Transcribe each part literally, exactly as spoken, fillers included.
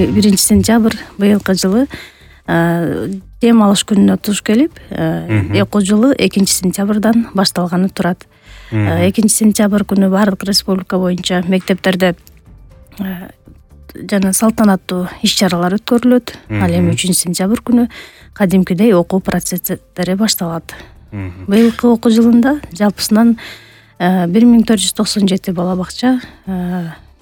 биринчи сентябрь быйылкы жылы дем алыш күнүнө туш келип, окуу жылы экинчи сентябрдан башталганы турат. экинчи сентябрь күнү баардык республика боюнча мектептерде жана салтанаттуу иш-чаралар өткөрүлөт. Ал эми үчүнчү сентябрь күнү кадимкидей окуу процесстери башталат. Быйылкы окуу жылында жалпысынан бир миң төрт жүз токсон жети бала бакча,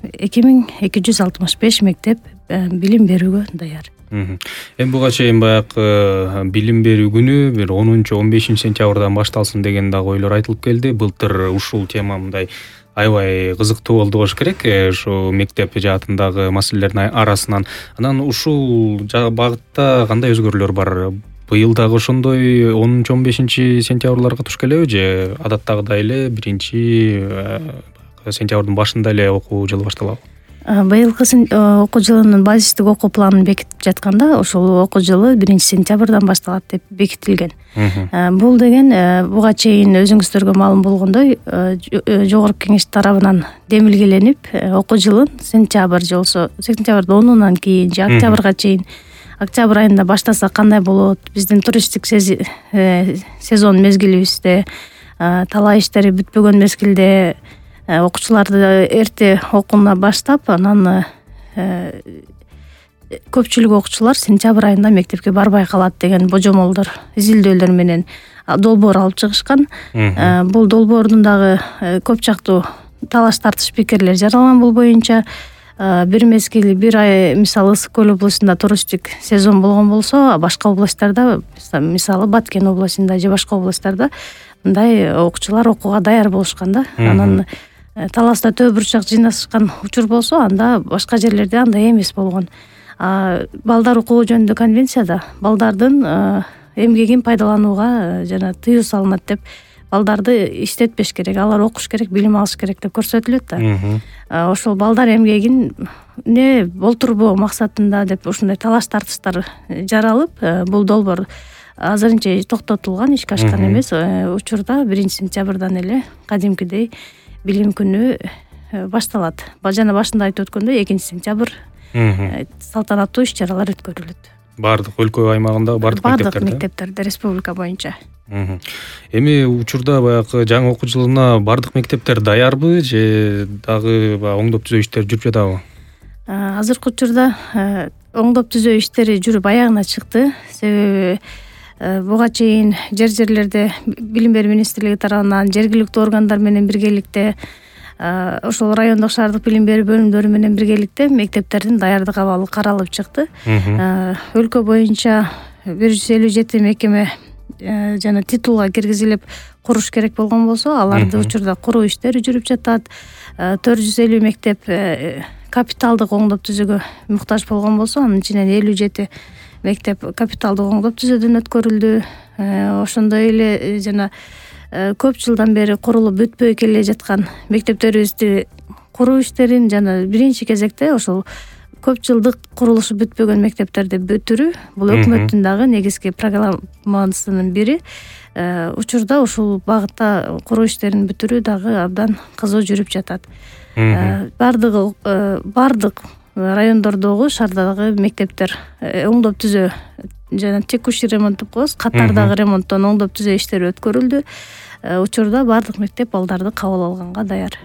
эки миң эки жүз алтымыш беш мектеп билим берүүгө даяр. Эми буга чейин баягы билим берүү күнү бир онунчу он бешинчи сентябрдан башталсын деген дагы ойлор айтылып келди. Былтыр ушул тема мындай аябай кызыктуу болду болуш керек, ушу мектеп жаатындагы маселелердин арасынан. Анан ушул багытта кандай өзгөрүүлөр бар? Быйыл дагы ошондой онунчу он бешинчи сентябрларга туш келеби же адаттагыдай эле биринчи сентябрдын башында эле окуу жылы башталабы? Быйылкы окуу жылынын базистик окуу планын бекитип жатканда ошол окуу жылы биринчи сентябрдан башталат деп бекитилген. Бул деген буга чейин өзүңүздөргө маалым болгондой жогорку кеңеш тарабынан демилгеленип, окуу жылын сентябрь же болсо сентябрдын онунан кийин же октябрга чейин, октябрь айында баштаса кандай болот? Биздин туристтик сезон мезгилибизде, талаа иштери бүтпөгөн мезгилде окуучуларды эрте окууна баштап, анан көпчүлүк окуучулар сентябрь айында мектепке барбай калат деген божомолдор, изилдөөлөр менен долбоор алып чыгышкан. Бул долбоордун дагы көп жактуу талаш тартыш пикирлер жаралган бул боюнча. Бир мезгил, бир ай, мисалы Ысык көл областында туристтик сезон болгон болсо, башка областтарда, мисалы Баткен областында же башка областтарда мындай окуучулар окууга даяр болушкан да. Анан таласта төө бурчак жыйнашкан учур болсо, анда башка жерлерде андай эмес болгон. Балдар укугу жөнүндө конвенцияда балдардын эмгегин пайдаланууга жана тыюу салынат деп, балдарды иштетпеш керек, алар окуш керек, билим алыш керек деп көрсөтүлөт да. Ошол балдар эмгегин не болтурбоо максатында деп ушундай талаш тартыштар жаралып, бул долбоор азырынча токтотулган, ишке ашкан эмес. Учурда биринчи сентябрдан эле кадимкидей билим күнү башталат. Жана башында айтып өткөндөй экинчи сентябрь салтанаттуу иш-чаралар өткөрүлөт. Бардык өлкө аймагындагы бардык мектептерде? Бардык мектептерде, республика боюнча. Эми учурда баягы жаңы окуу жылына бардык мектептер даярбы же дагы оңдоп түзөө иштери жүрүп жатабы? Азыркы учурда оңдоп түзөө иштери жүрүп аягына чыкты. Себеби буга чейин жер-жерлерде билим берүү министрлиги тарабынан жергиликтүү органдар менен биргеликте, ошол райондук шаардык билим берүү бөлүмдөрү менен биргеликте мектептердин даярдык абалы каралып чыкты. Өлкө боюнча бир жүз элүү жети мекеме жана титулга киргизилип куруш керек болгон болсо, аларды учурда куруу иштери жүрүп жатат. төрт жүз элүү мектеп капиталдык оңдоп түзүүгө муктаж болгон болсо, анын ичинен элүү жети мектеп капиталдык оңдоп түзөөдөн өткөрүлдү. Ошондой эле жана көп жылдан бери курулуп бүтпөй келе жаткан мектептерибизди куруу иштерин жана биринчи кезекте ошол көп жылдык курулушу бүтпөгөн мектептерди бүтүрүү, бул өкмөттүн дагы негизги программасынын бири. Учурда ушул багытта куруу иштерин бүтүрүү дагы абдан кызуу жүрүп жатат. Бардыгы бардык райондордогу, шаардагы мектептер оңдоп түзөө жана текущий ремонт деп коебуз, катардагы ремонттон оңдоп түзөө иштери өткөрүлдү. Учурда бардык мектеп балдарды кабыл алганга даяр.